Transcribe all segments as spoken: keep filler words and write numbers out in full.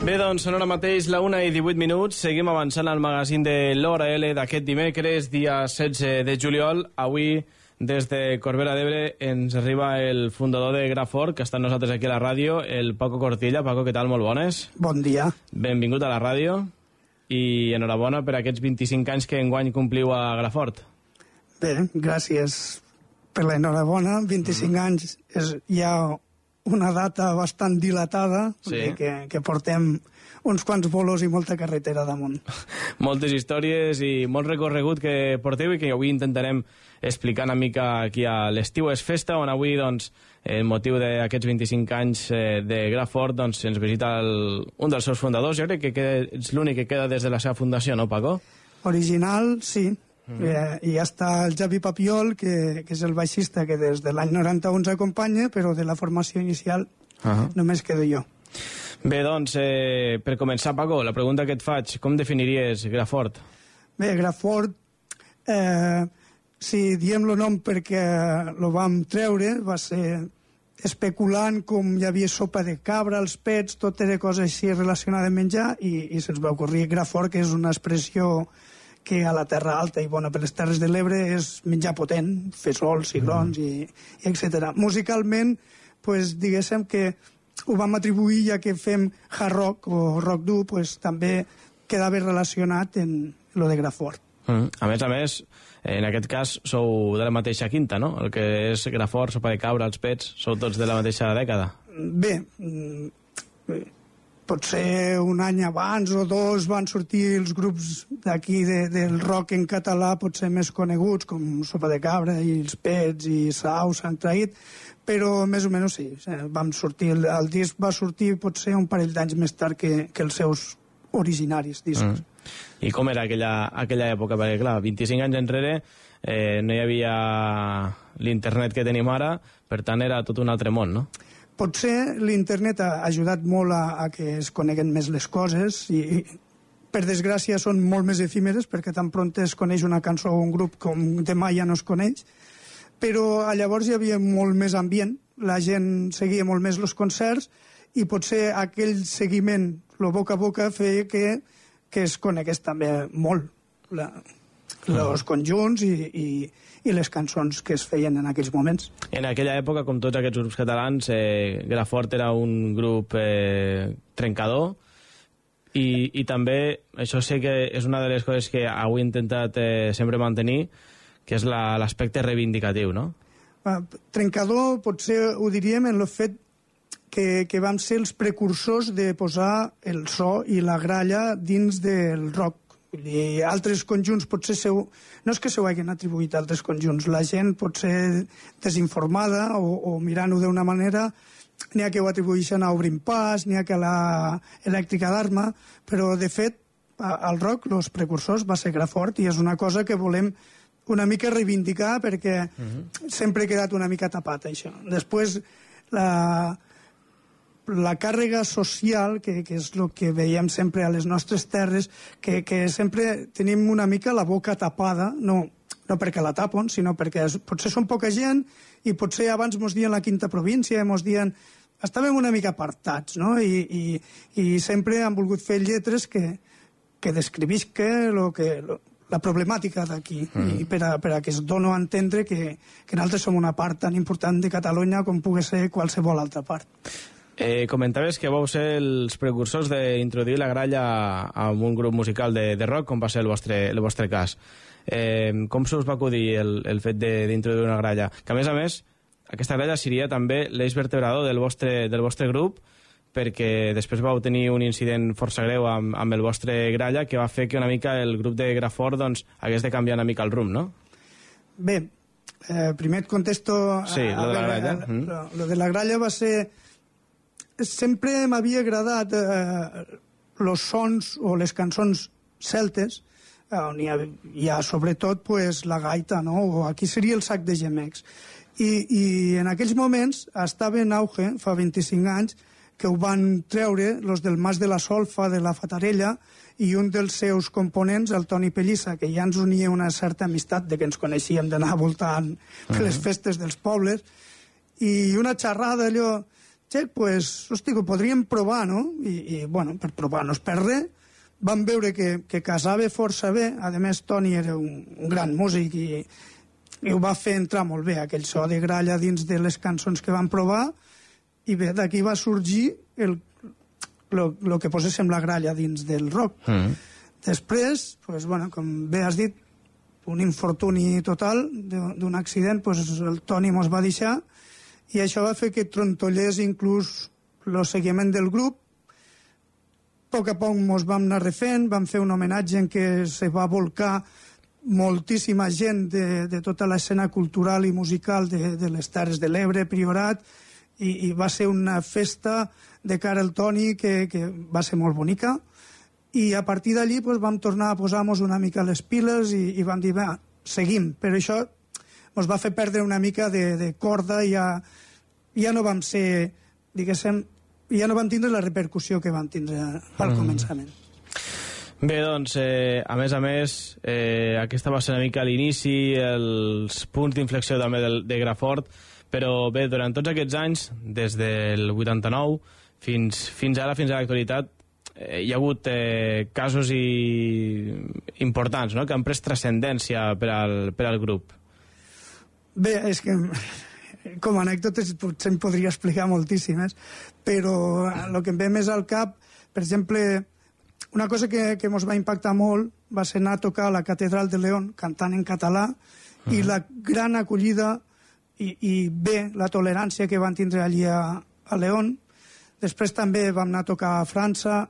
Bé, doncs són ara mateix la una i divuit minuts. Seguim avançant al magazín de l'Hora L d'aquest dimecres, dia setze de juliol. Avui, des de Corbera d'Ebre, ens arriba el fundador de Grafort, que està amb nosaltres aquí a la ràdio, el Paco Cortilla. Paco, què tal? Molt bones. Bon dia. Benvingut a la ràdio i enhorabona per aquests vint-i-cinc anys que enguany compliu a Grafort. Bé, gràcies per l'enhorabona. vint-i-cinc mm. anys és ja una data bastant dilatada, sí. que, que portem uns quants bolos i molta carretera damunt. Moltes històries i molt recorregut que porteu i que avui intentarem explicar una mica aquí a l'Estiu és Festa, on avui, doncs, el motiu d'aquests vint-i-cinc anys de Grafort, doncs, ens visita el, un dels seus fundadors. Jo crec que queda, és l'únic que queda des de la seva fundació, no, Paco? Original, sí. Mm. Eh, i ja està el Javi Papiol, que, que és el baixista que des de l'any noranta-u ens acompanya, però de la formació inicial uh -huh. només quedo jo. Bé, doncs, eh, per començar, Paco, la pregunta que et faig, com definiries Grafort? Bé, Grafort, eh, si diem el nom perquè lo vam treure, va ser especulant com hi havia sopa de cabra, els pets, tot era cosa així relacionada amb menjar, i, i se'ns va ocorrir Grafort, que és una expressió que a la Terra Alta i bona per les Terres de l'Ebre és menjar potent, fesols, cigrons, mm. i, i etcètera. Musicalment, pues, diguéssim que ho vam atribuir, ja que fem hard rock o rock dur, pues, també quedava relacionat en lo de Grafort. Mm. A més a més, en aquest cas sou de la mateixa quinta, no? El que és Grafort, sopa de cabra, els pets, sou tots de la mateixa dècada. Bé, bé. Potser un any abans o dos van sortir els grups d'aquí de, del rock en català potser més coneguts, com Sopa de Cabra i els Pets i Sau s'han traït, però més o menys sí, vam sortir, el, el disc va sortir potser un parell d'anys més tard que, que els seus originaris discs. Mm. I com era aquella, aquella època? Perquè clar, vint-i-cinc anys enrere eh, no hi havia l'internet que tenim ara, per tant era tot un altre món, no? Potser l'internet ha ajudat molt a, a que es coneguen més les coses i, i per desgràcia són molt més efímeres perquè tan pront es coneix una cançó o un grup com demà ja no es coneix, però llavors hi havia molt més ambient, la gent seguia molt més els concerts i potser aquell seguiment, el boca a boca, feia que, que es conegués també molt la, els conjunts i, i, i les cançons que es feien en aquells moments. En aquella època, com tots aquests grups catalans, eh, Grafort era un grup eh, trencador i, i també, això sé que és una de les coses que avui he intentat eh, sempre mantenir, que és l'aspecte reivindicatiu, no? Uh, trencador potser ho diríem en el fet que, que vam ser els precursors de posar el so i la gralla dins del rock. I altres conjunts potser seu, no és que se ho hagin atribuït a altres conjunts, la gent pot ser desinformada o, o mirant-ho d'una manera, n'hi ha que ho atribueixen a Obrim Pas, n'hi ha que a la Elèctrica d'Arma, però de fet al rock els precursors va ser Grafort i és una cosa que volem una mica reivindicar perquè uh-huh. sempre ha quedat una mica tapat això. Després la la càrrega social, que, que és el que veiem sempre a les nostres terres, que, que sempre tenim una mica la boca tapada, no, no perquè la tapen, sinó perquè potser són poca gent i potser abans mos dien la quinta província, mos dien... Estàvem una mica apartats, no? I, i, i sempre han volgut fer lletres que, que descrivisca lo que, lo, la problemàtica d'aquí, mm. i per a, per a que es doni a entendre que, que nosaltres som una part tan important de Catalunya com pugui ser qualsevol altra part. Eh, comentaves que vau ser els precursors d'introduir la gralla en un grup musical de, de rock, com va ser el vostre, el vostre cas. Eh, com se us va acudir el, el fet d'introduir una gralla? Que a més a més, aquesta gralla seria també l'eix vertebrador del vostre, del vostre grup, perquè després vau tenir un incident força greu amb, amb el vostre gralla que va fer que una mica el grup de Grafort doncs, hagués de canviar una mica el rumb, no? Bé, eh, primer et contesto... Sí, a, a lo de la gralla. A, mm. lo, lo de la gralla va ser... Sempre m'havia agradat eh, los sons o les cançons celtes, eh, on hi ha, hi ha sobretot pues, la gaita, no? O aquí seria el sac de gemecs. I, i en aquells moments estava en auge, fa vint-i-cinc anys, que ho van treure los del Mas de la Solfa, de la Fatarella, i un dels seus components, el Toni Pellissa, que ja ens unia una certa amistat de que ens coneixíem d'anar voltant per les festes dels pobles, i una xerrada allò Txec, pues, hosti, ho podríem provar, no? I, i bueno, per provar no es perd res. Vam veure que, que casava força bé. A més, Toni era un, un gran músic i, i ho va fer entrar molt bé, aquell so de gralla dins de les cançons que vam provar. I bé, d'aquí va sorgir el, lo, lo que poséssim la gralla dins del rock. Mm. Després, pues, bueno, com bé has dit, un infortuni total d'un accident, pues, el Toni mos va deixar i això va fer que trontollés inclús el seguiment del grup. A poc a poc mos vam anar refent, vam fer un homenatge en què se va volcar moltíssima gent de, de tota l'escena cultural i musical de, de les Terres de l'Ebre, Priorat, i, i va ser una festa de cara al Toni que, que va ser molt bonica. I a partir d'allí pues, vam tornar a posar-nos una mica les piles i, i vam dir, va, seguim. Però això ens va fer perdre una mica de, de corda i ja, ja no vam ser, diguéssim, ja no vam tindre la repercussió que vam tindre al mm. començament. Bé, doncs, eh, a més a més, eh, aquesta va ser una mica l'inici, els punts d'inflexió també de, de Grafort, però bé, durant tots aquests anys, des del vuitanta-nou fins, fins ara, fins a l'actualitat, hi ha hagut eh, casos i... importants, no?, que han pres transcendència per al, per al grup. Bé, és que com a anècdotes potser em podria explicar moltíssimes, però el que em ve més al cap, per exemple, una cosa que, que ens va impactar molt va ser anar a tocar a la Catedral de León cantant en català, uh-huh. i la gran acollida i, i bé, la tolerància que van tindre allí a, a León. Després també vam anar a tocar a França,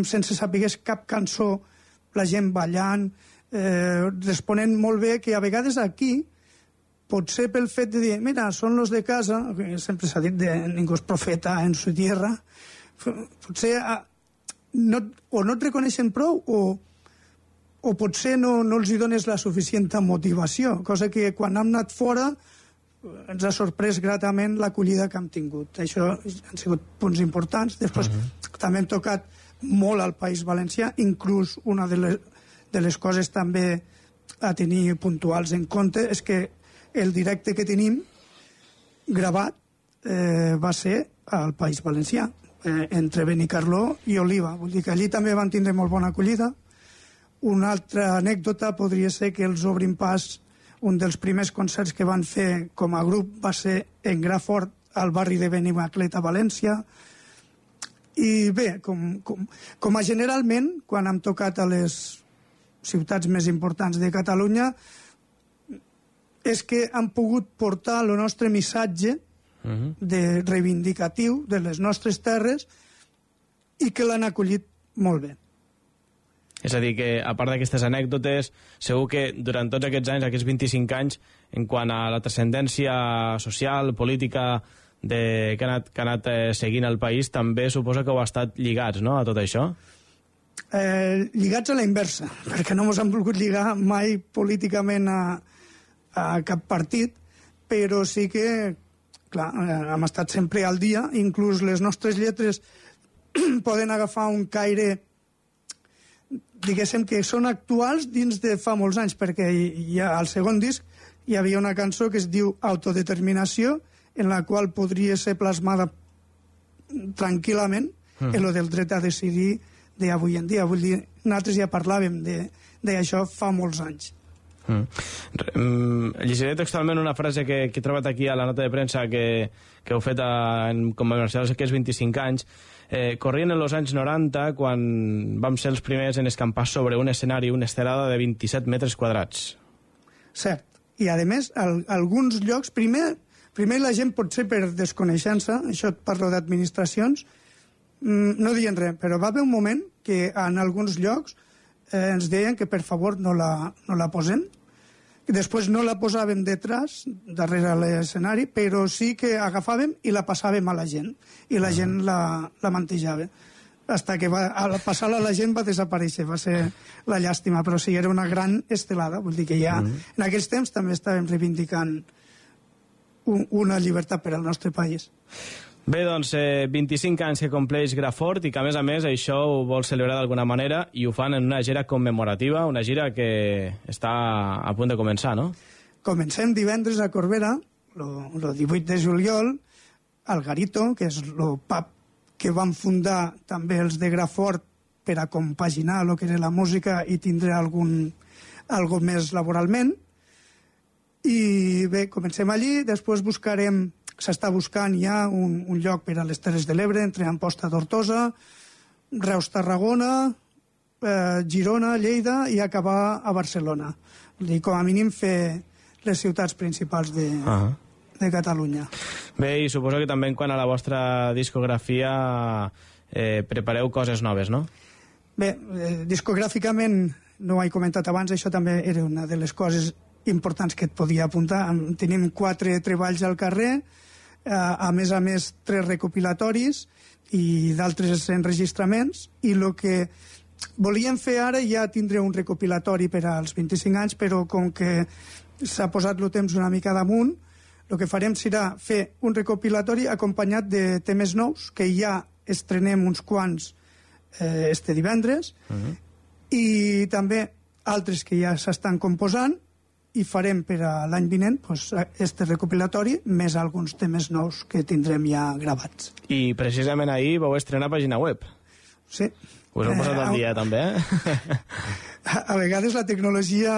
sense saber cap cançó, la gent ballant, eh, responent molt bé, que a vegades aquí, potser pel fet de dir, mira, són los de casa, que sempre s'ha dit de ningú és profeta en su tierra, potser no, o no et reconeixen prou o, o potser no, no els hi dones la suficient motivació, cosa que quan hem anat fora ens ha sorprès gratament l'acollida que hem tingut. Això han sigut punts importants. Després uh-huh. també hem tocat molt al País Valencià, inclús una de les, de les coses també a tenir puntuals en compte és que el directe que tenim gravat eh, va ser al País Valencià, eh, entre Benicarló i Oliva. Vull dir que allí també van tindre molt bona acollida. Una altra anècdota podria ser que els Obrim Pas, un dels primers concerts que van fer com a grup va ser en Grafort, al barri de Benimaclet, a València. I bé, com, com, com a generalment, quan hem tocat a les ciutats més importants de Catalunya, és que han pogut portar el nostre missatge uh-huh. de reivindicatiu de les nostres terres i que l'han acollit molt bé. És a dir, que a part d'aquestes anècdotes, segur que durant tots aquests anys, aquests vint-i-cinc anys, en quant a la transcendència social, política, de, que ha anat, que ha anat eh, seguint el país, també suposa que heu estat lligats, no?, a tot això? Eh, lligats a la inversa, perquè no ens han volgut lligar mai políticament a, a cap partit, però sí que, clar, hem estat sempre al dia, inclús les nostres lletres poden agafar un caire, diguéssim, que són actuals dins de fa molts anys, perquè hi ha, al segon disc hi havia una cançó que es diu Autodeterminació, en la qual podria ser plasmada tranquil·lament mm. en lo del dret a decidir d'avui en dia. Vull dir, nosaltres ja parlàvem d'això fa molts anys. Mm. Mm, llegiré textualment una frase que, que he trobat aquí a la nota de premsa que, que heu fet a, en commemoració d'aquests vint-i-cinc anys. Eh, corrien en els anys noranta, quan vam ser els primers en escampar sobre un escenari, una estelada de vint-i-set metres quadrats. Cert. I, a més, al, alguns llocs, primer... Primer la gent, potser per desconeixença, això et parlo d'administracions, no diuen res, però va haver un moment que en alguns llocs eh, ens deien que per favor no la, no la posem. Després no la posàvem detrás, darrere l'escenari, però sí que agafàvem i la passàvem a la gent, i la gent la, la mantejava. Hasta que va, al passar-la a la gent va desaparèixer, va ser la llàstima, però sí, era una gran estelada, vull dir que ja mm-hmm. en aquells temps també estàvem reivindicant una llibertat per al nostre país. Bé, doncs, eh, vint-i-cinc anys que compleix Grafort i que, a més a més, això ho vol celebrar d'alguna manera i ho fan en una gira commemorativa, una gira que està a punt de començar, no? Comencem divendres a Corbera, el divuit de juliol, al Garito, que és el pub que van fundar també els de Grafort per a compaginar el que era la música i tindre algun, algo més laboralment. I bé, comencem allí, després buscarem, s'està buscant ja un, un lloc per a les Terres de l'Ebre, entre Amposta d'Hortosa, Reus, Tarragona, eh, Girona, Lleida i acabar a Barcelona. Vull dir, com a mínim fer les ciutats principals de, uh-huh. de Catalunya. Bé, i suposo que també quan a la vostra discografia eh, prepareu coses noves, no? Bé, eh, discogràficament, no ho he comentat abans, això també era una de les coses importants que et podia apuntar. Tenim quatre treballs al carrer, eh, a més a més tres recopilatoris i d'altres enregistraments, i el que volíem fer ara ja tindre un recopilatori per als vint-i-cinc anys, però com que s'ha posat el temps una mica damunt, el que farem serà fer un recopilatori acompanyat de temes nous, que ja estrenem uns quants eh, este divendres, uh-huh. i també altres que ja s'estan composant, i farem per a l'any vinent pues, este recopilatori més alguns temes nous que tindrem ja gravats. I precisament ahir vau estrenar pàgina web. Sí. Us heu posat al dia, eh, també, eh? A, a vegades la tecnologia,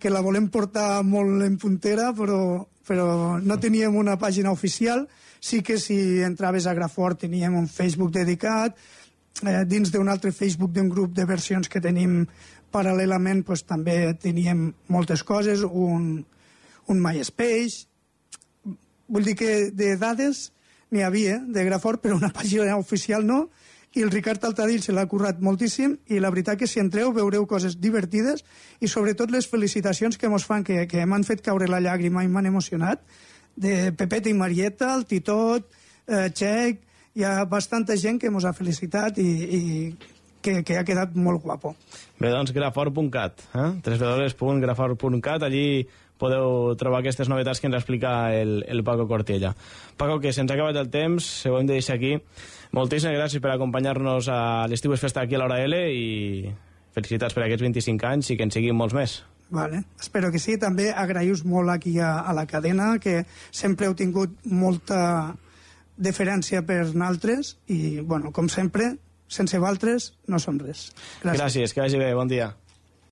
que la volem portar molt en puntera, però, però no teníem una pàgina oficial. Sí que si entraves a Grafort teníem un Facebook dedicat, eh, dins d'un altre Facebook d'un grup de versions que tenim paral·lelament pues, també teníem moltes coses, un, un MySpace. Vull dir que de dades n'hi havia, de Grafort, però una pàgina oficial no, i el Ricard Altadill se l'ha currat moltíssim, i la veritat que si entreu veureu coses divertides, i sobretot les felicitacions que mos fan, que, que m'han fet caure la llàgrima i m'han emocionat, de Pepeta i Marieta, el Titot, eh, Txec, hi ha bastanta gent que mos ha felicitat i, i que, que ha quedat molt guapo. Bé, doncs, grafort punt cat, eh? w w w punt grafort punt cat, allí podeu trobar aquestes novetats que ens explica el, el Paco Cortiella. Paco, que se'ns ha acabat el temps, ho hem de deixar aquí. Moltíssimes gràcies per acompanyar-nos a l'Estiu és Festa aquí a l'Hora L i felicitats per aquests vint-i-cinc anys i que en siguin molts més. Vale, espero que sí. També agraïu molt aquí a, a la cadena, que sempre heu tingut molta deferència per naltres i, bueno, com sempre, sense valtres no som res. Gràcies, Gràcies que vagi bé, bon dia.